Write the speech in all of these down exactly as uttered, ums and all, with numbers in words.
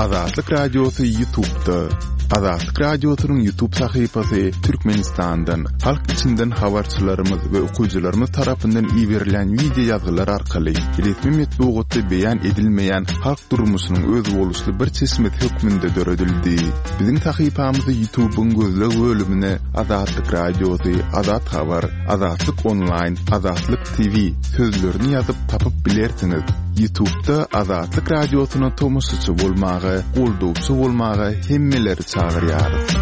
Azatlyk Radiosy YouTube'da. Azatlyk Radiosynyň YouTube sahypasy Türkmenistandan, halk içinden habarçylarymyz we okyjylarymyz tarapyndan iberilen wideo ýazgylar arkaly resmi metbugatda beýan edilmeýän halk durmuşynyň özboluşly bir çeşmesi hökmünde döredildi. Biziň sahypamyzy YouTube'yň gözleg bölümine Azatlyk Radiosy, Azat Habar, Azatlyk Online, Azatlyk T V sözlerini ýazyp tapyp bilersiňiz. YouTube'da Azatlyk Radiosyna tomaşaçy bolmaga, goldawçy bolmaga hemmeleri çagyrýarys.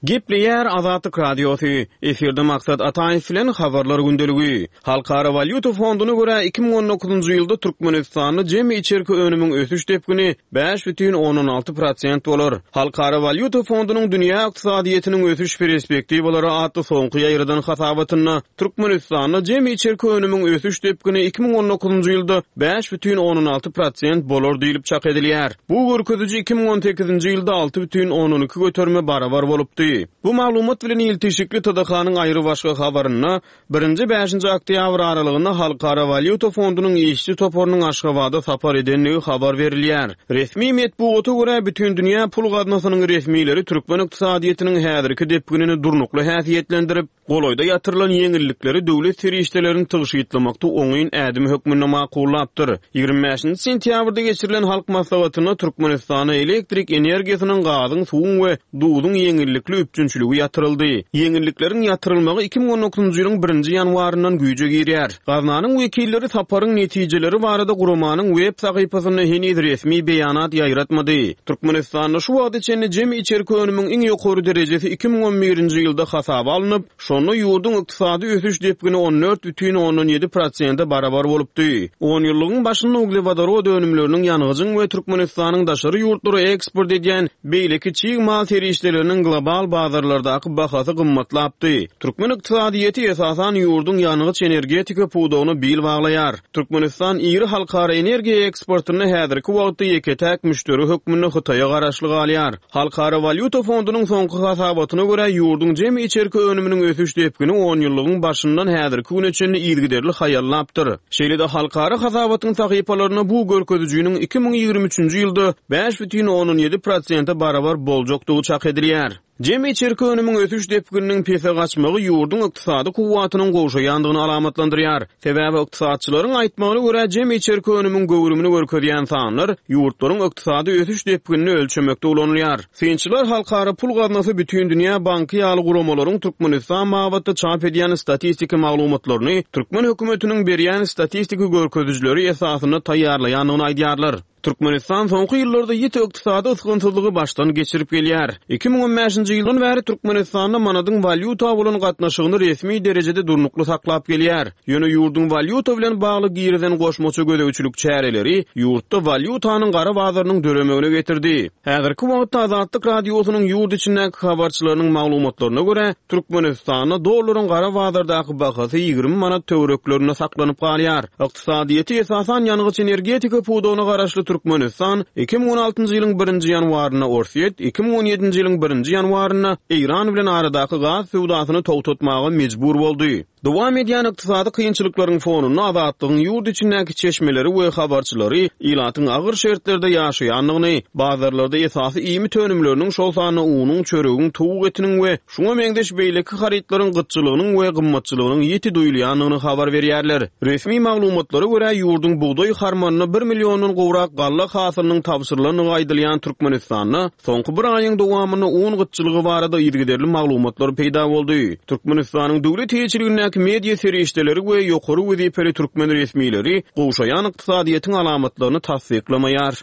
Gepleýär Azatlyk Radiosy. Efirde Maksat Ataýew bilen habarlar gündeligi. Halkara walýuta fonduna görä iki müň on dokuzynjy ýylda Türkmenistanda jemi içerki önümiň ösüş depgini bäş bütin ondan alty prosent bolar. Halkara walýuta fondunyň dünýä ykdysadyýetiniň ösüş perspektiwalary atly soňky ýaýradan hasabatynda Türkmenistanda jemi içerki önümiň ösüş depgini iki müň on dokuzynjy ýylda bäş bütin ondan alty prosent bolar diýlip çak edilýär. Bu görkeziji iki müň on sekizinji ýylda alty bütin ondan iki göterime barabar bolupdy. Bu maglumat bilen iltişikli T D H-nyň aýry başga habarynda birinji bäşinji oktýabr aralygynda Halkara walýuta fondunyň işçi toparynyň Aşgabada sapar edenligi habar berilýär. Resmi metbugata görä bütün dünýä pul gaznasynyň resmileri türkmen ykdysadyýetiniň häzirki depginini durnukly häsiýetlendirip, golaýda ýatyrylan ýeňillikleri döwlet serişdelerini tygşytlamakda oňyn ädim hökmünde makullapdyr. Ýigrimi bäşinji sentýabrda geçirilen halk maslahatynda Türkmenistana elektrik energiýasynyň, gazyň, suwuň we duzuň ýeňillikli üpjünçiligi ýatyryldy. Ýeňillikleriň ýatyrylmagy iki müň on dokuzynjy ýylyň birinji ýanwaryndan güýje girýär. Gaznanyň wekilleri saparyň netijeleri barada guramanyň web sahypasynda heniz resmi beýanat ýaýratmady. Türkmenistanda şu wagta çenli jemi içerki önümiň iň ýokary derejesi iki müň on birinji ýylda hasaba alnyp, şonda ýurduň ykdysady ösüş depgini on dört bütin ondan ýedi prosente barabar bolupdy. On ýyllygyň başynda uglewodorod önümleriniň ýangyjyň we Türkmenistanyň daşary ýurtlara eksport edýän beýleki çig mal serişdeleriniň global bazarlardaky bahasy gymmatlapdy. Türkmen ykdysadyýeti esasan ýurduň ýangyç energetika pudagyna bil baglaýar. Türkmenistan iri halkara energiýa eksportynda häzirki wagtda ýeke-täk müşderi hökmünde Hytaýa garaşly galýar. Halkara walýuta fondunyň soňky hasabatyna görä ýurduň jemi içerki önüminiň ösüş depgini on ýyllygyň başyndan häzirki güne çenli yzygiderli haýallapdyr. Şeýle-de halkara hasabatyň sahypalarynda bu görkezijiniň iki müň ýigrimi üçünji ýylda bäş bütin ondan ýedi prosente barabar boljakdygy çak edilýär. Jemi içerki önümiň ösüş depgininiň pese gaçmagy ýurduň ykdysady kuwwatynyň gowşaýandygyny alamatlandyrýar. Sebäbi ykdysatçylaryň aýtmagyna görä jemi içerki önümiň göwrümini görkezýän sanlar ýurtlaryň ykdysady ösüş depginini ölçemekde ulanylýar. Synçylar Halkara Pul Gaznasy Bütün Dünýä Banky ýaly guramalaryň Türkmenistan babatda çap edýän statistiki maglumatlaryny türkmen hökümetiniň berýän statistiki görkezijileri esasynda taýýarlaýandygyny aýdýarlar. Türkmenistan soňky ýyllarda ýiti ykdysady ysgynsyzlygy başdan geçirip gelýär. Iki müň on bäşinji ýyldan bäri Türkmenistanda manadyň walýuta bolan gatnaşygyny resmi derejede durnukly saklap gelýär. Ýöne ýurduň walýuta bilen bagly girizen goşmaça gözegçilik çäreleri ýurtda walýutanyň gara bazarynyň döremegine getirdi. Häzirki wagtda Azatlyk Radiosynyň ýurt içindäki habarçylarynyň maglumatlaryna görä Türkmenistanda dollaryň gara bazardaky bahasy ýigrimi manat töwereklerinde saklanyp galýar. Ykdysadyýeti esasan ýangyç energetika pudagyna garaşly Türkmenistan iki müň on altynjy ýylyň birinji ýanwarynda Orsýet, iki müň on ýedinji ýylyň birinji ýanwarynda Eýran bilen aradaky gaz söwdasyny togtatmaga mejbur boldy. Dowam edýän ykdysady kynçylyklaryň fonunda Azatlygyň ýurt içindäki çeşmeleri we habarçylary ilatyň agyr şertlerde ýaşaýandygyny, bazarlarda esasy iýmit önümleriniň şol sanda unuň, çöregiň, towuk etiniň we şuňa meňzeş beýleki harytlaryň gytçylygynyň we gymmatçylygynyň ýiti duýulýandygyny habar berýärler. Resmi maglumatlara görä ýurduň bugdaý harmanyna bir milliondan gowrak galla hasylynyň tabşyrylandygy aýdylýan Türkmenistanda soňky bir aýyň dowamynda un gytçylygy barada yzygiderli maglumatlar peýda boldy. Türkmenistanyň döwlet eýeçiligindäki media serişdeleri we ýokary wezipeli türkmen resmileri gowşaýan ykdysadyýetiň alamatlaryny tassyklamaýar.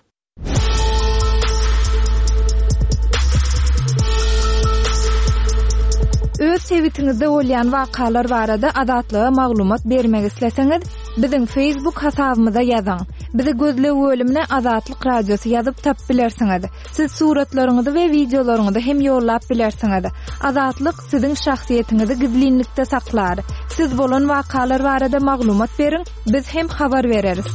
Öz sebitiňizde bolýan wakalar barada Azatlyga maglumat bermek isleseňiz, biziň Facebook hasabymyza ýazyň. Bizi gözleg bölümine Azatlyk Radiosy ýazyp tap bilersiňiz. Siz suratlaryňyzy we wideolaryňyzy hem ýollap bilersiňiz. Azatlyk siziň şahsyýetiňizi gizlinlikde saklar. Siz bolan wakalar barada maglumat beriň, biz hem habar bereris.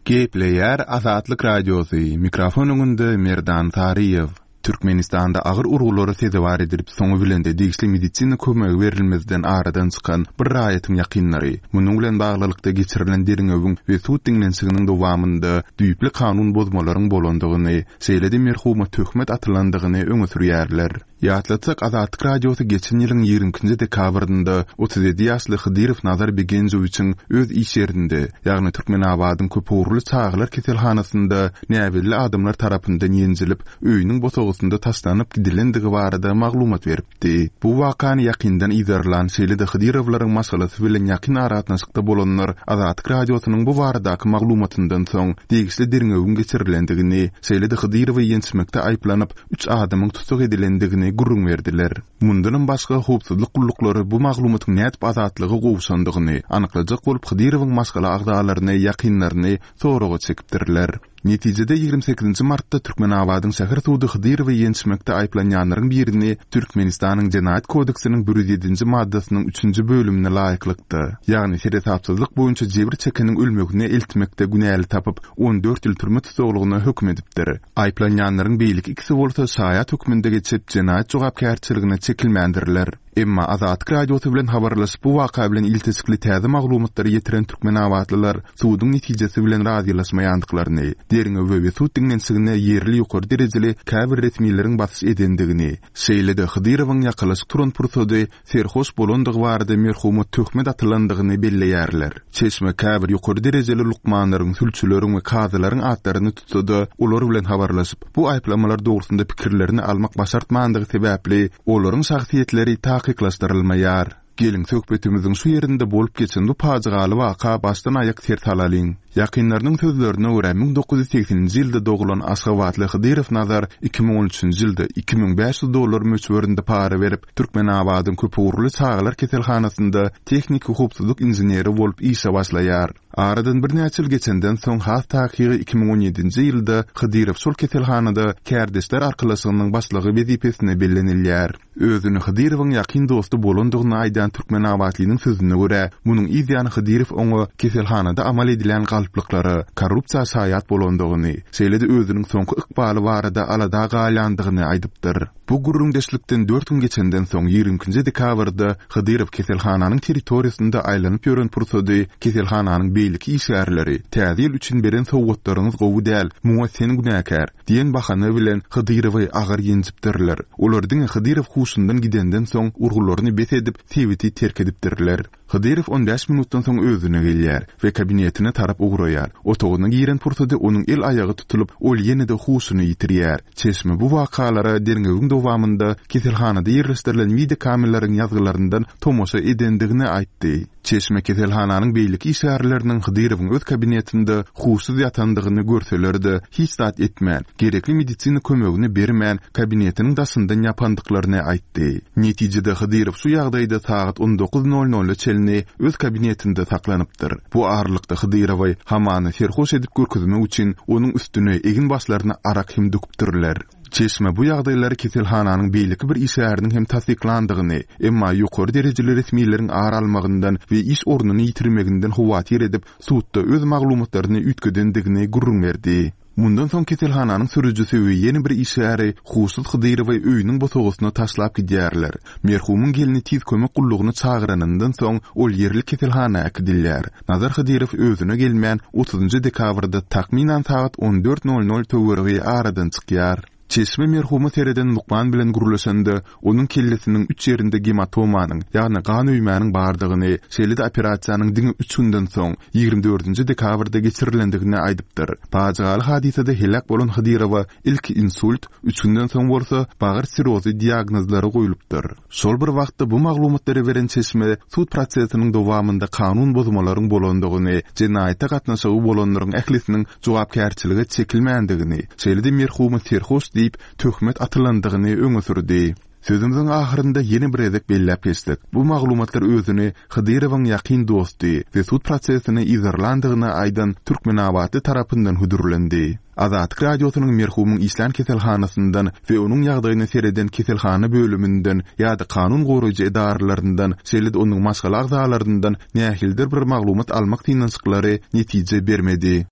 Gepleýär Azatlyk Radiosy, mikrofon öňünde Merdan Saryýew. Türkmenistanda agyr urgulara sezewar edilip, soňy bilen-de degişli medisina kömegi berilmezden aradan çykan bir raýatyň ýakynlary, munuň bilen baglylykda geçirilen derňewiň we sud diňlenişiginiň dowamynda düýpli kanun bozmalaryň bolandygyny, şeýle-de merhuma töhmet atylandygyny öňe sürýärler. Ýatlatsak, Azatlyk Radiosy geçen ýylyň ýigrimi ikinji dekabrynda otuz ýedi ýaşly Hydyrow Nazar Begenjowiçiň öz iş ýerinde, ýagny Türkmenabadyň köpugurly çagalar keselhanasynda näbelli adamlar tarapyndan ýenjilip, öýüniň bosagasynda taşlanyp gidilendigi barada maglumat beripdi. Bu wakany ýakyndan yzarlan, şeýle-de Hydyrowlaryň maşgalasy bilen ýakyn aragatnaşykda bolanlar Azatlyk Radiosynyň bu baradaky maglumatyndan soň degişli derňewiň geçirilendigini, şeýle-de Hydyrowy ýençmekde aýyplanyp, üç adamyň tussag edilendigini gürrüň berdiler. Mundanam başga howpsuzlyk gulluklary bu maglumatyň nädip Azatlyga gowşandygyny anyklajak bolup Hydyrowyň maşgala agzalaryny, ýakynlaryny soraga çekipdirler. Netijede ýigrimi sekizinji martda Türkmenabadyň şäher sudy Hydyrowy ýençmekde aýyplanýanlaryň birini Türkmenistanyň Jenaýat kodeksiniň bir ýüz ýedinji maddasynyň üçünji bölümine laýyklykda, ýagny seresapsyzlyk boýunça jebir çekeniň ölmegine eltmekde günäli tapyp, on dört ýyl türme tussaglygyna höküm edipdir. Aýyplanýanlaryň beýleki ikisi bolsa şaýat hökmünde geçip, jenaýat jogapkärçiligine çekilmändirler. Emma Azatlyk Radiosy bilen habarlaşyp bu waka bilen ilteşikli täze maglumatlary ýetiren türkmenabatlylar suduň netijesi bilen razylaşmaýandyklaryny, derňewe we sud diňlenişigine ýerli ýokary derejeli käbir resmileriň basyş edendigini, şeýle-de Hydyrowyň ýakalaşyp turan pursady serhoş bolandygy barada merhuma töhmet atylandygyny belleýärler. Çeşme käbir ýokary derejeli lukmanlaryň, sülçüleriň we kazylaryň atlaryny tutsa-da, olar bilen habarlaşyp, bu aýyplamalar dogrusynda pikirlerini almak başartmandygy sebäpli olaryň şahsyýetleri takyklaşdyrylmaýar. Geliň söhbetimiziň şu ýerinde bolup geçen bu pajygaly waka başdan aýak ser salalyň. Ýakynlarynyň sözlerine görä müň dokuz ýüz segseninji ýylda doglan Aşgabatly Hydyrow Nazar iki müň on üçünji ýylda iki müň bäş ýüz dollar möçberinde para berip, Türkmenabadyň köpugurly çagalar keselhanasynda tehniki howpsuzlyk inženeri bolup işe başlaýar. Aradan birnäçe ýyl geçenden soň has takygy iki müň on ýedinji ýylda Hydyrow şol keselhanada kärdeşler arkalaşygynyň başlygy wezipesine bellenilýär. Özüni Hydyrowyň ýakyn dosty bolandygyny aýdan Türkmenabatlynyň sözüne görä, munuň yz ýany Hydyrow oňa keselhanada amal edilen galplyklara, korrupsiýa şaýat bolandygyny, şeýle-de özüniň soňky ykbaly barada alada galýandygyny aýdypdyr. Bu gürrüňdeşlikden dört gün geçenden soň ýigrimi ikinji dekabrda Hydyrow keselhananyň territoriýasynda aýlanyp ýören pursady keselhananyň beýleki işgärleri täze ýyl üçin beren sowgatlaryňyz gowy däl, muňa sen günäkär diýen bahana bilen Hydyrowy agyr ýenjipdirler. Olar diňe Hydyrow huşundan gidenden soň urgularyny bes edip sebiti terk edipdirler. Hydyrow on bäş minutdan soň özüne gelýär we kabinetine tarap ugraýar. Otagyna giren pursady onuň el aýagy tutulyp, ol ýene-de huşuny ýitirýär. Çeşme bu wakalara derňewiň dowamynda keselhanada ýerleşdirilen videokameralaryň ýazgylaryndan tomaşa edendigini aýtdy. Çeşme keselhananyň beýleki işgärleriniň Hydyrowyň öz kabinetinde huşsuz ýatandygyny görseler-de hiç zat etmän, gerekli medisina kömegini bermän kabinetiniň daşyndan ýapandyklaryny aýtdy. Netijede Hydyrow şu ýagdaýda sagat on dokuz nol nol çenli öz kabinetinde saklanypdyr. Bu aralykda Hydyrowy hamany serhoş edip görkezmek üçin onuň üstüne egin başlaryna arak hem döküpdirler. Çeşme bu ýagdaýlary keselhananyň beýleki bir işgäriniň hem tassyklandygyny, emma ýokary derejeli resmileriň ar almagyndan we iş ornuny ýitirmeginden howatyr edip, sudda öz maglumatlaryny üýtgedendigini gürrüň berdi. Mundan soň keselhananyň sürüjisi we ýene bir işgäri huşsuz Hydyrowy öýüniň bosagasyna taşlap gidýärler. Merhumyň gelni tiz kömek gullugyny çagyranyndan soň ol ýerli keselhana äkidilýär. Nazar Hydyrow özüne gelmän otuzynjy dekabrda takmynan sagat on dört nol nol töweregi aradan çykýar. Çeşme merhuma sereden lukman bilen gürleşende onuň kellesiniň üç ýerinde gematomanyň, ýagny gan öýmäniň bardygyny, şeýle-de operasiýanyň diňe üç günden soň ýigrimi dördünji dekabrda geçirilendigini aýdypdyr. Pajygaly hadysada heläk bolan Hydyrowa ilki insult, üç günden soň bolsa bagyr sirozy diagnozlary goýlupdyr. Şol bir wagtda bu maglumatlary beren çeşme sud prosesiniň dowamynda kanun bozmalaryň bolandygyny, jenaýata gatnaşygy bolanlaryň ählisiniň jogapkärçilige çekilmändigini, şeýle-de merhuma serhoş diýip töhmet atylandygyny öňe sürdi. Sözümiziň ahyrynda ýene bir gezek belläp geçdik. Bu maglumatlar özüni Hydyrowyň ýakyn dosty we sud prosesini yzarlandygyny aýdan Türkmenabatly tarapyndan hödürlendi. Azatlyk Radiosynyň merhumyň işlän keselhanasyndan we onuň ýagdaýyna sereden keselhana bölüminden ýa-da kanun goraýjy edaralaryndan, şeýle-de onuň maşgala agzalaryndan nähilidir bir maglumat almak synanyşyklary netije bermedi.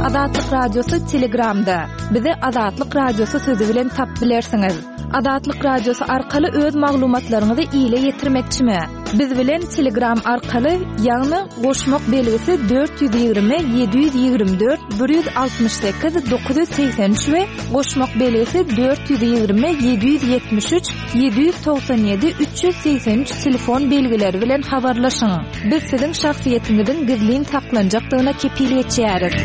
Azatlyk Radiosy Telegramda. Bizi Azatlyk Radiosy sözi bilen tapyp bilersiňiz. Azatlyk Radiosy arkaly öz maglumatlaryňyzy ile ýetirmekçimi? Biz bilen Telegram arkaly, ýagny goşmak belgisi dört ýüz ýigrimi ýedi ýüz ýigrimi dört bir ýüz altmyş sekiz dokuz ýüz segsen üç we goşmak belgisi dört ýüz ýigrimi ýedi ýüz ýetmiş üç ýedi ýüz togsan ýedi üç ýüz segsen üç telefon belgileri bilen habarlaşyň. Biz siziň şahsyýetiňiziň gizlin saklanjakdygyna kepil geçýäris.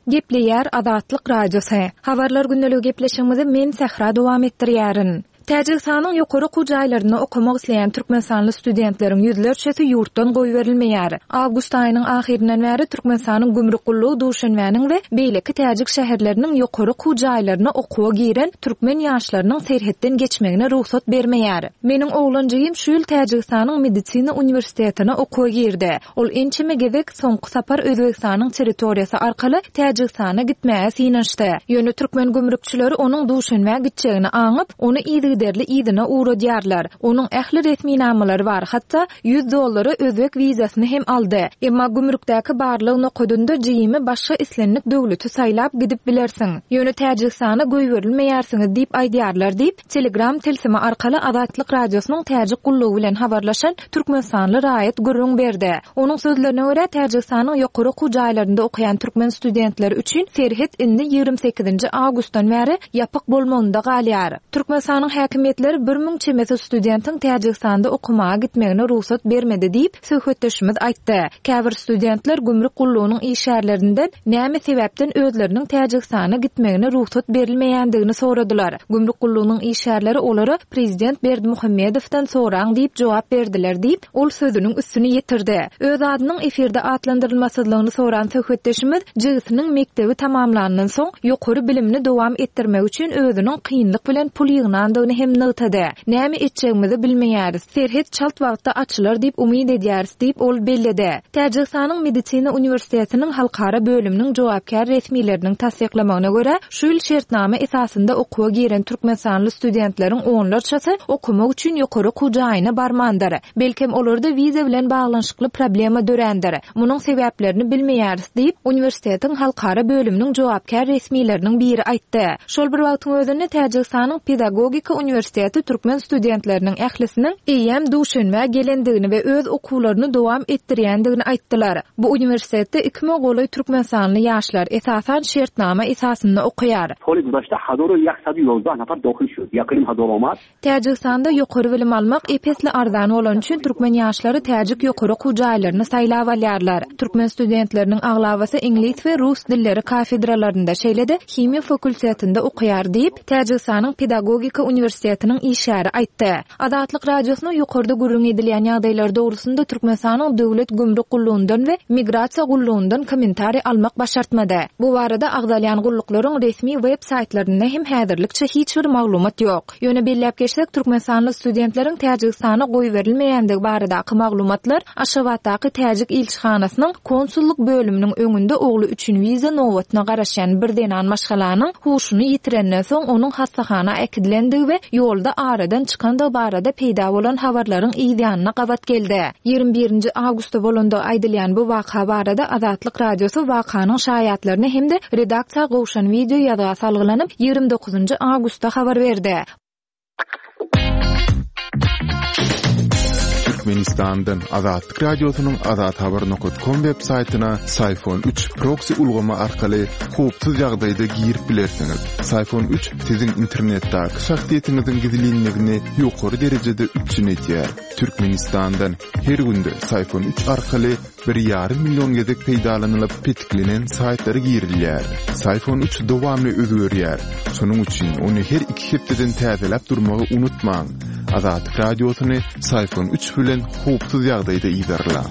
Gepleýär Azatlyk Radiosy. Habarlar gündeligi gepleşigimizi men Sähra dowam etdirýärin. Täjigistanyň ýokary okuw jaýlarynda okamak isleýän türkmenistanly studentleriň ýüzlerçesi ýurtdan goýberilmeýär. Awgust aýynyň ahyryndan bäri Türkmenistanyň gümrük gullugy Duşenbäniň we beýleki täjik şäherleriniň ýokary okuw jaýlaryna okuwa giren türkmen ýaşlarynyň serhetden geçmegine rugsat bermeýär. Meniň oglan jigim şu ýyl Täjigistanyň medisina uniwersitetine okuwa girdi. Ol ençeme gezek soňky sapar Özbegistanyň territoriýasy arkaly Täjigistana gitmäge synanyşdy. Ýöne türkmen gümrükçileri onuň Duşenbä gitjegini aňyp, ony yzygiderli yzyna ugradýarlar. Onuň ähli resminamalary bar, hatda ýüz dollara özbek wizasyny hem aldy. Emma gümrükdäki barlyk nokadynda jigimi başga islendik döwleti saýlap gidip bilersiň. Ýöne Täjigistana goýberilmeýärsiňiz diýip aýdýarlar diýip, Telegram tilsimi arkaly Azatlyk Radiosynyň Täjik gullugy bilen habarlaşan türkmenistanly raýat gürrüň berdi. Onuň sözlerine görä, Täjigistanyň ýokary okuw jaýlarynda okaýan türkmen studentleri üçin serhet indi ýigrimi sekizinji awgustdan bäri ýapyk bolmagynda galýar. Türkmenistanyň häkimiýetleri bir müň çemesi studentiň Täjigistanda okamaga gitmegine rugsat bermedi diýip, söhbetdeşimiz aýtdy. Käbir studentler gümrük gullugynyň işgärlerinden näme sebäpden özleriniň Täjigistana gitmegine rugsat berilmeýändigini soradylar. Gümrük gullugynyň işgärleri olara Prezident Berdimuhamedowdan soraň diýip jogap berdiler diýip, ol sözüniň üstüni ýetirdi. Öz adynyň efirde atlandyrylmasyzlygyny soran söhbetdeşimiz jigisiniň mekdebi tamamlandan soň ýokary bilimini dowam etdirmek üçin özüniň kynlyk bilen pul ýygnandygyny hem nygtady. Näme etjegimizi bilmeýäris. Serhet çalt wagtda açylar diýip umyt edýäris diýip ol belledi. Täjigistanyň medisina uniwersitetiniň halkara bölüminiň jogapkär resmileriniň tassyklamagyna görä, şu ýyl şertnama esasynda okuwa giren türkmenistanly studentleriň onlarçasy okumak üçin ýokary okuw jaýyna barmandyr. Belkem olarda wiza bilen baglanyşykly problema dörändir. Munuň sebäplerini bilmeýäris diýip, uniwersitetiň halkara bölüminiň jogapkär resmileriniň biri aýtdy. Şol bir wagtyň özünde Täjigistanyň pedagogika uniwersiteti türkmen studentleriniň ählisiniň eýýäm Duşenbä gelendigini we öz okuwlaryny dowam etdirýändigini aýtdylar. Bu uniwersitetde iki müň golaý türkmenistanly ýaşlar esasan şertnama esasynda okaýar. Soly guzashta hazor ýak sady ýozdah nafar dohil şud. Ýakyn hazor omad. Täjigistanda ýokary bilim almak ep-esli arzan bolany üçin türkmen ýaşlary täjik ýokary okuw jaýlaryny saýlap alýarlar. Türkmen studentleriniň aglabasy iňlis we rus dilleri kafedralarynda, şeýle-de himiýa fakultetinde okaýar diýip, Täjigistanyň pedagogika uniwersitetiniň işgäri aýtdy. Azatlyk Radiosyna ýokarda gürrüň edilýän ýagdaýlar dogrusynda Türkmenistanyň Döwlet gümrük gullugyndan we migrasiýa gullugyndan kommentariý almak başartmady. Bu barada agzalýan gulluklaryň resmi web saýtlarynda hem häzirlikçe hiç bir maglumat ýok. Ýöne belläp geçsek, türkmenistanly studentleriň Täjigistana goýberilmeýändigi baradaky maglumatlar Aşgabatdaky Täjik ilçihanasynyň konsullyk bölüminiň öňünde ogly üçin wiza nobatyna garaşýan bir zenan maşgalanyň huşuny ýitirenden soň onuň hassahana äkidilendigi we ýolda aradan çykandygy barada peýda bolan habarlaryň yz ýanyna gabat geldi. Ýigrimi birinji awgustda bolandygy aýdylýan bu waka barada Azatlyk Radiosy wakanyň şaýatlaryna hem-de redaksiýa gowşan wideo ýazga salgylanyp, ýigrimi dokuzynjy awgustda habar berdi. Türkmenistandan Azatlyk Radiosynyň Azat Habar nokta com web saýtyna Syfon üç proksi ulgamy arkaly howpsuz ýagdaýda girip bilersiňiz. Syfon üç siziň internetdäki şahsyýetiňiziň gizlinligini ýokary derejede üpjün edýär. Türkmenistandan her günde Syfon üç arkaly bir ýarym million gezek peýdalanylyp petiklenen saýtlara girilýär. Syfon üç dowamly özgerýär. Şonuň üçin ony her iki hepdeden täzeläp durmagy unutmaň. Azatlyk Radiosyny Syfon üç bilen howpsuz ýagdaýda yzarlaň.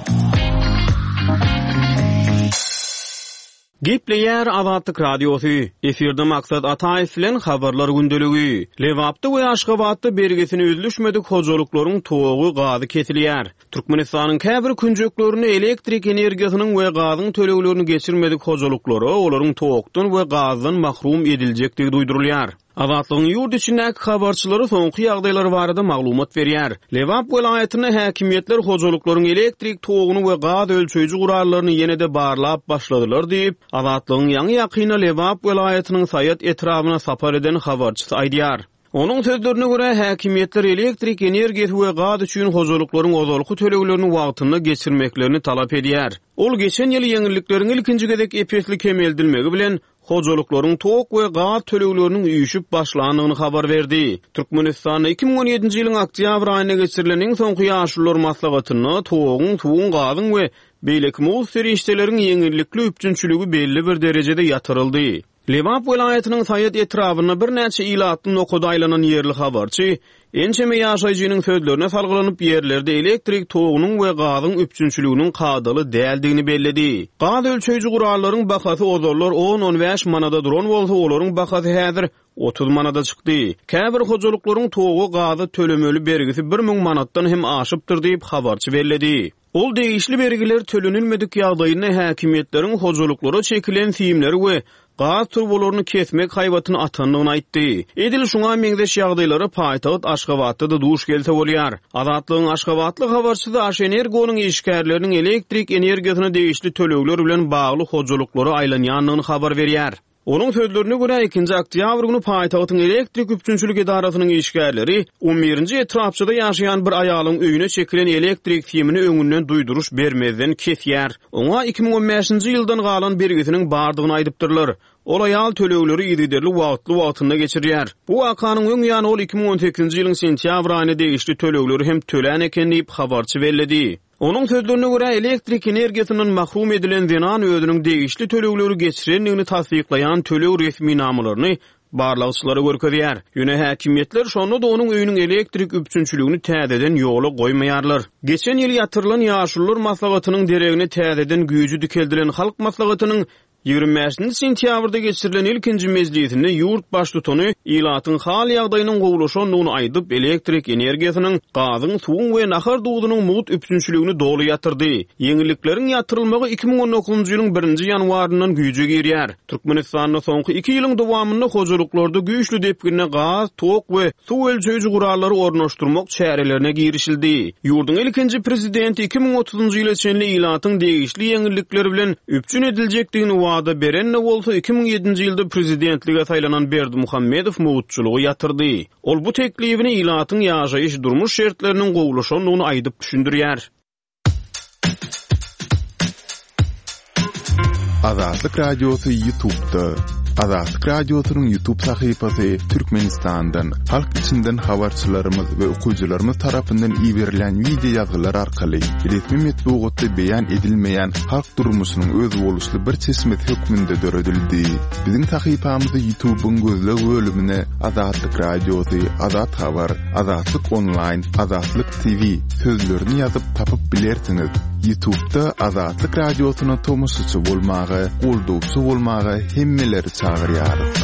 Gepleýär Azatlyk Radiosy. Efirde Maksat Ataýew bilen habarlar gündeligi. Lebapda we Aşgabatda bergisini üzlüşmedik hojalyklaryň togy gazy kesilýär. Türkmenistanyň käbir künjeklerinde elektrik energiýasynyň we gazyň töleglerini geçirmedik hojalyklara olaryň tokdan we gazdan mahrum ediljekdigi duýdurylýar. Azatlygyň ýurt içindäki habarçylary soňky ýagdaýlar barada maglumat berýär. Lebap welaýatynda häkimiýetler hojalyklaryň elektrik toguny we gaz ölçeýji gurallaryny ýene-de barlap başladylar diýip, Azatlygyň ýaňy-ýakynda Lebap welaýatynyň Saýat etrabyna sapar eden habarçysy aýdýar. Onuň sözlerine görä, häkimiýetler elektrik energiýasy we gaz üçin hojalyklaryň ozalky töleglerini wagtynda geçirmeklerini talap edýär. Ol geçen ýyl ýeňillikleriň ilkinji gezek ep-esli kemeldilmegi bilen hojalyklaryň tok we gaz tölegleriniň üýşüp başlandygyny habar berdi. Türkmenistanda iki müň on ýedinji ýylyň oktýabr aýynda geçirilen iň soňky ýaşulular maslahatynda toguň, suwuň, gazyň we beýleki mugt serişdeleriň ýeňillikli üpjünçiligi belli bir derejede ýatyryldy. Lebap welaýatynyň Saýat etrabynda birnäçe ilatly nokada aýlanan ýerli habarçy ençeme ýaşaýjynyň sözlerine salgylanyp ýerlerde elektrik togunyň we gazyň üpjünçiliginiň kadaly däldigini belledi. Gaz ölçeýji gurallaryň bahasy ozallar on-on bäş manada duran bolsa, olaryň bahasy häzir otuz manada çykdy. Käbir hojalyklaryň togy gazy tölemeli bergisi bir müň manatdan hem aşypdyr diýip habarçy belledi. Ol degişli bergiler tölenilmedik ýagdaýynda häkimiýetleriň hojalyklara çekilen simleri we gaz turbalaryny kesmek haýbatyny atandygyny aýtdy. Edil şuňa meňzeş ýagdaýlara paýtagt Aşgabatda-da duş gelse bolýar. Azatlygyň Aşgabatly habarçysy Aşenergonyň işgärleriniň elektrik energiýasyna degişli tölegler bilen bagly hojalyklara aýlanýandygyny habar berýär. Onuň sözlerine görä ikinji oktýabr güni paýtagtyň elektrik üpjünçilik edarasynyň işgärleri on birinji etrapçada ýaşaýan bir aýalyň öýüne çekilen elektrik simini öňünden duýduryş bermezden kesýär. Oňa iki müň on bäşinji ýyldan galan bergisiniň bardygyny aýdypdyrlar. Ol aýal tölegleri yzygiderli wagtly wagtynda geçirýär. Bu wakanyň öň ýany ol iki müň on sekizinji ýylyň sentýabr aýyna degişli tölegleri hem tölän eken diýip habarçy belledi. Onuň sözlerine görä elektrik energiýasyndan mahrum edilen zenan özüniň degişli tölegleri geçirendigini tassyklaýan töleg resminamalaryny barlagçylara görkezýär. Ýöne häkimiýetler şonda-da onuň öýüniň elektrik üpjünçiligini täzeden ýola goýmaýarlar. Geçen ýyl ýatyrylan ýaşulular maslahatynyň deregine täzeden güýji dikeldilen halk maslahatynyň ýigrimi bäşinji sentýabrda geçirilen ilkinji mejlisinde ýurt baştutany ilatyň hal ýagdaýynyň gowulaşandygyny aýdyp, elektrik energiýasynyň, gazyň, suwuň we nahar duzunyň mugt üpjünçiligini doly ýatyrdy. Ýeňillikleriň ýatyrylmagy iki müň on dokuzynjy ýylyň birinji ýanwaryndan güýje girýär. Türkmenistanda soňky iki ýylyň dowamynda hojalyklarda güýçli depginde gaz, tok we suw ölçeýji gurallary ornaşdyrmak çärelerine girişildi. Ýurduň ilkinji prezidenti iki müň otuzynjy ýyla çenli ilatyň degişli ýeňillikleri bilen üpjün ediljekdigini wada berende bolsa iki müň ýedinji ýylda prezidentlige saýlanan Berdimuhamedow mugtçulygy ýatyrdy. Ol bu teklibini ilatyň ýaşaýyş durmuş şertleriniň gowulaşandygyny aýdyp düşündirýär. Azatlyk Radiosy YouTube'da. Azatlyk Radiosynyň YouTube sahypasy Türkmenistandan, halk içinden habarçylarymyz we okyjylarymyz tarapyndan iberilen video ýazgylar arkaly resmi metbugatda beýan edilmeýän halk durmuşynyň özboluşly bir çeşmesi hökmünde döredildi. Biziň sahypamyzy YouTube'yň gözleg bölümine Azatlyk Radiosy, Azat Habar, Azatlyk Online, Azatlyk T V sözlerini ýazyp tapyp bilersiňiz. YouTube'da Azatlyk Radiosyna tomaşaçy bolmaga, goldawçy bolmaga hemmeleri çagyrýarys.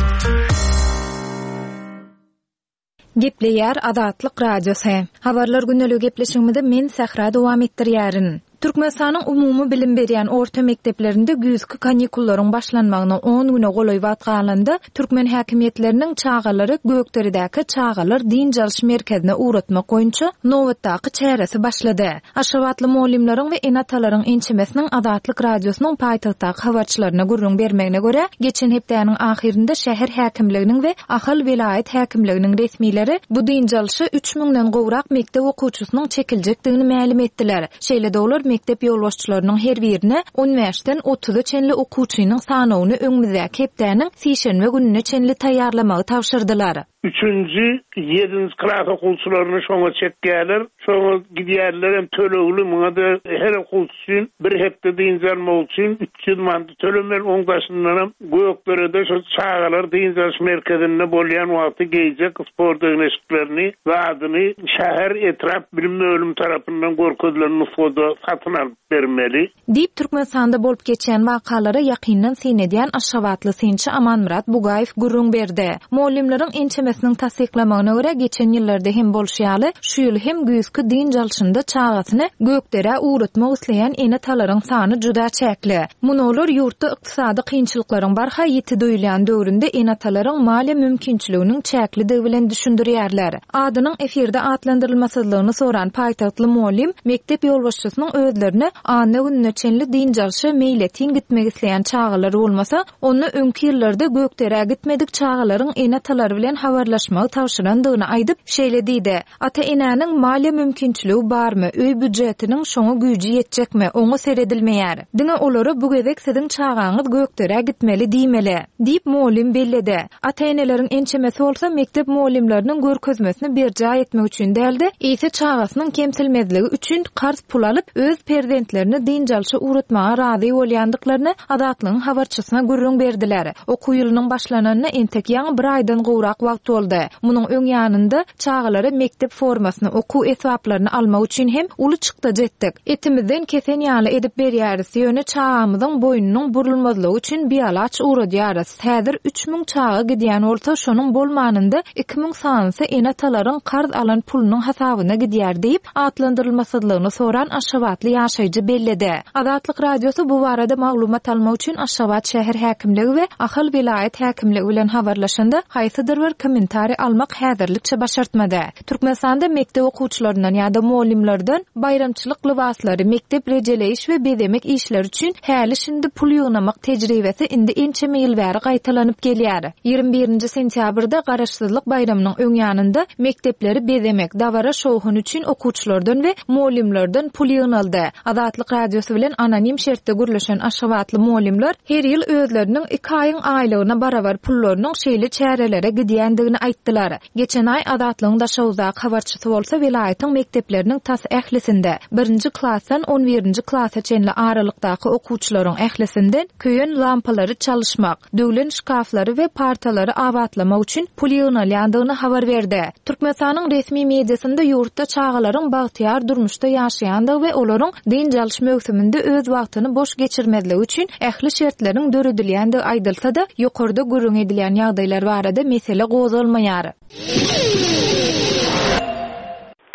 Gepleýär Azatlyk Radiosy. Habarlar gündelik gepleşigimizi men Sähra dowam etdirýärin. Türkmenistanyň umumy bilim berýän orta mekdeplerinde güýzki kanikullaryň başlanmagyna on güne golaý wagt galanda, türkmen häkimiýetleriniň çagalary Gökderedäki çagalar dynç alyş merkezine ugratmak boýunça nobatdaky çäresi başlady. Aşgabatly mugallymlaryň we ene-atalaryň ençemesiniň Azatlyk Radiosynyň paýtagtdaky habarçylaryna gürrüň bermegine görä, geçen hepdäniň ahyrynda şäher häkimliginiň we Ahal welaýat häkimliginiň resmileri bu dynç alyşa üç müňden gowrak mekdep okuwçysynyň çekiljekdigini mälim etdiler. Şeýle-de olar mekdep ýolbaşçylarynyň her birine on bäşden otuza çenli okuwçynyň sanawyny öňümizdäki hepdäniň sişenbe gününe çenli taýýarlamagy tabşyrdylar. Üçünji, ýedinji klas okuwçylaryny şoňa çekýärler. Şoňa gidýärler hem tölegli, muňa da her okuwçy üçin bir hepde dynç almak üçin üç ýüz manat tölemeli. Oň daşyndan hem Gökderede şu çagalar dynç alyş merkezinde bolýan wagty geýjek sport egneşiklerini, zadyny şäher etrap bilim bölümi tarapyndan görkezilen nusgada satyn alyp bermeli. Diýip Türkmenistanda bolup geçen wakalara ýakyndan syn edýän Aşgabatly synçy Amanmyrat Bugaýew gürrüň berdi. Mugallymlaryň ençemesiniň enesiniň tassyklamagyna görä, geçen ýyllarda hem bolşy ýaly, şu ýyl hem güýzki dynç alşynda çagasyny Gökderä ugratmak isleýän ene-atalaryň sany juda çäkli. Muny olar ýurtda ykdysady kynçylyklaryň barha ýiti duýulýan döwründe ene-atalaryň maliýe mümkinçiliginiň çäklidigi bilen düşündirýärler. Adynyň efirde atlandyrylmasyzlygyny soran paýtagtly mugallym mekdep ýolbaşçysynyň özlerine anna gününe çenli dynç alşa meýletin gitmek isleýän çagalar bolmasa, onda öňki ýyllarda Gökderä gitmedik çagalaryň ene-atalary bilen habarlaşmagy tabşyrandygyny aýdyp, şeýle diýdi: Ata-enäniň maliýe mümkinçiligi barmy, öý býujetiniň şoňa güýji ýetjekmi, oňa seredilmeýär. Diňe olara bu gezek siziň çagaňyz Gökderä gitmeli diýmeli, diýip mugallym belledi. Ata-eneleriň ençemesi bolsa mekdep mugallymlarynyň görkezmesini berjaý etmek üçin däl-de, eýse çagasynyň kemsilmezligi üçin karz pul alyp, öz perzentlerini dynç alşa ugratmaga razy bolýandyklaryny Azatlygyň habarçysyna gürrüň berdiler. Okuw ýylynyň başlananyna entek ýaňy bir aýdan gowrak wagt boldy. Munuň öň ýanynda çagalara mekdep formasyny, okuw esbaplaryny almak üçin hem uly çykdajy etdik. Etimizden kesen ýaly edip berýäris, ýöne çagamyzyň boýnunyň burulmazlygy üçin bialaç ugradýarys. Häzir üç müň çaga gidýän bolsa, şonuň bolmanynda iki müň sanysy ene-atalaryň karz alan pulunyň hasabyna gidýär diýip, atlandyrylmasyzlygyny soran aşgabatly ýaşaýjy belledi. Azatlyk Radiosy bu barada maglumat almak üçin Aşgabat şäher häkimligi we Ahal welaýat häkimligi bilen habarlaşanda haýsydyr bir kommentariý almak häzirlikçe başartmady. Türkmenistanda mekdep okuwçylaryndan ýa-da mugallymlardan baýramçylyk lybaslary, mekdep rejeleýiş we bezemek işleri üçin häli-şindi pul ýygnamak tejribesi indi ençeme ýyl bäri gaýtalanyp gelýär. Ýigrimi birinji sentýabrda Garaşsyzlyk baýramynyň öň ýanynda mekdepleri bezemek, dabara şowhun üçin okuwçylardan we mugallymlardan pul ýygnaldy. Azatlyk Radiosy bilen anonim şertde gürleşen aşgabatly mugallymlar her ýyl özleriniň iki aýyň aýlygyna barabar pullarynyň şeýle çärelere gidýändigini aýtdylar. Geçen aý Azatlygyň Daşoguzdaky habarçysy bolsa welaýatyň mekdepleriniň tas ählisinde birinji klasdan on birinji klasa çenli aralykdaky okuwçylaryň ählisinden köýen lampalary çalyşmak, döwlen şkaflary we partalary abatlamak üçin pul ýygnalýandygyny habar berdi. Türkmenistanyň resmi mediasynda ýurtda çagalaryň bagtyýar durmuşda ýaşaýandygy we olaryň dynç alyş möwsüminde öz wagtyny boş geçirmezligi üçin ähli şertleriň döredilýändigi aýdylsa-da, ýokarda gürrüň edilýän ýagdaýlar barada mesele gozgalmaýar.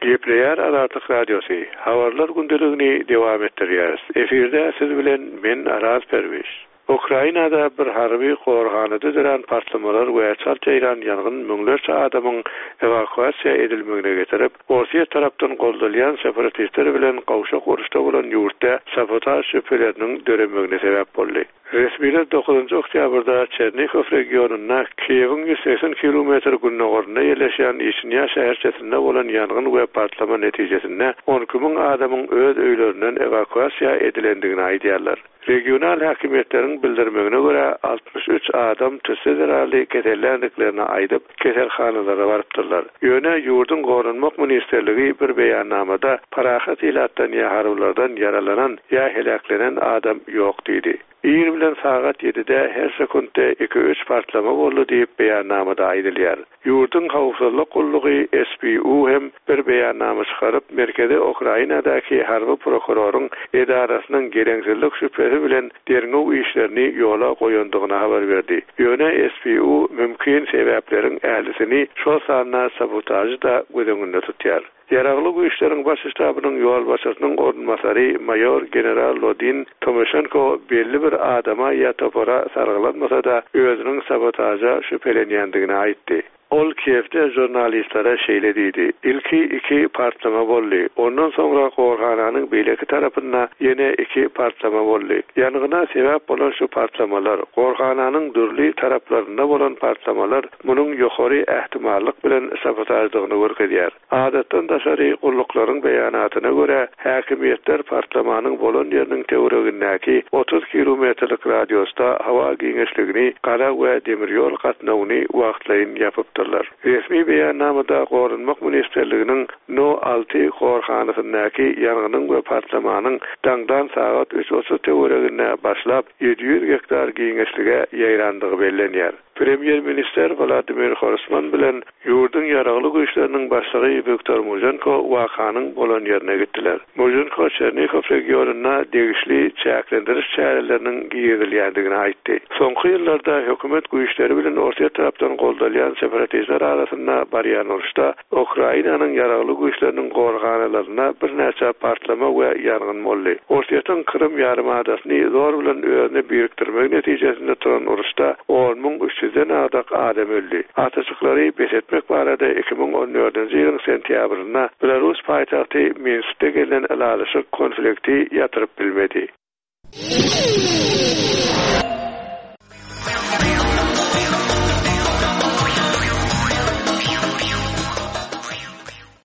Gepleýär Azatlyk Radiosy. Habarlar gündeligini dowam etdirýäris. Efirde siz bilen men Araz Perwiş. Ukrainada bir harby gorhanada dörän partlamalar we çalt ýaýran ýangyn müňlerçe adamyň ewakuasiýa edilmegine getirip, Orsýet tarapdan goldalýan separatistler bilen gowşak uruşda bolan ýurtda sabotaž şübheleriniň döremegine sebäp boldy. Resmiler dokuzynjy oktýabrda Çernikow regionynda Kiýewiň ýüz segsen kilometr gündogarynda ýerleşýän Işinýa şäherçesinde bolan ýangyn we partlama netijesinde on iki müň adamyň öz öýlerinden ewakuasiýa edilendigini aýdýarlar. Regional häkimiýetleriň bildirmegine görä altmyş üç adam tüsse zerarly kesellendiklerini aýdyp, keselhanalara barypdyrlar. Ýöne ýurduň Goranmak ministrligi bir beýannamada parahat ilatdan ýa harbylardan ýaralanan ýa heläklenen adam ýok diýdi. Ir bilen sagat ýedide her sekundda iki üç partlama boldy diýip beýannamada aýdylýar. Ýurduň howpsuzlyk gullugy S B U hem bir beýannama çykaryp, Merkezi Ukrainadaky harby prokuroryň edarasynyň geleňsizlik şübhesi bilen derňew işlerini ýola goýandygyny habar berdi. Ýöne S B U mümkin sebäpleriň ählisini şol sanda sabotažy da göz öňünde tutýar. Ýaragly güýçleriň baş ştabynyň ýolbaşçysynyň orunbasary maýor general Lodin Tomaşenko belli bir adama ýa topara sargylanmasa da özüniň sabotaža şübhelenýändigini aýtdy. Ol Kiýewde žurnalistlere şeýle diýdi: Ilki iki partlama boldy. Ondan soňra gorhananyň beýleki tarapynda ýene iki partlama boldy. Ýangyna sebäp bolan şu partlamalar, gorhananyň dürli taraplarynda bolan partlamalar munuň ýokary ähtimallyk bilen sabotaždygyny görkezýär. Adatdan daşary gulluklaryň beýanatyna görä, häkimiýetler partlamanyň bolan ýeriniň töweregindäki otuz kilometrlik radiusda hawa giňişligini, gara we demir ýol gatnawyny wagtlaýyn ýapypdyrlar. Resmi beýannamada Goranmak ministrliginiň No alty gorhanasyndaky ýangynyň we partlamanyň daňdan sagat üç otuz töwereginde başlap ýedi ýüz gektar giňişlige ýaýrandygy bellenýär. Premýer-ministr Wladimir Groýsman bilen ýurduň ýaragly güýçleriniň başlygy Wiktor Muženko wakanyň bolan ýerine gitdiler. Muženko Çernihow regionynda degişli çäklendiriş çäreleriniň girizilýändigini aýtdy. Soňky ýyllarda hökümet güýçleri bilen Orsýet tarapdan goldalýan separatistler arasynda barýan uruşda Ukrainanyň ýaragly güýçleriniň gorhanalarynda birnäçe partlama we ýangyn boldy. Orsýetiň Krym ýarymadasyny zor bilen özüne birikdirmegi netijesinde turan uruşda on müň üç ýüzden agdak adam öldi. Atyşyklary bes etmek barada iki müň on dördünji ýylyň sentýabrynda Belarus paýtagty Minskde gelnen ylalaşyk konflikti ýatyryp bilmedi.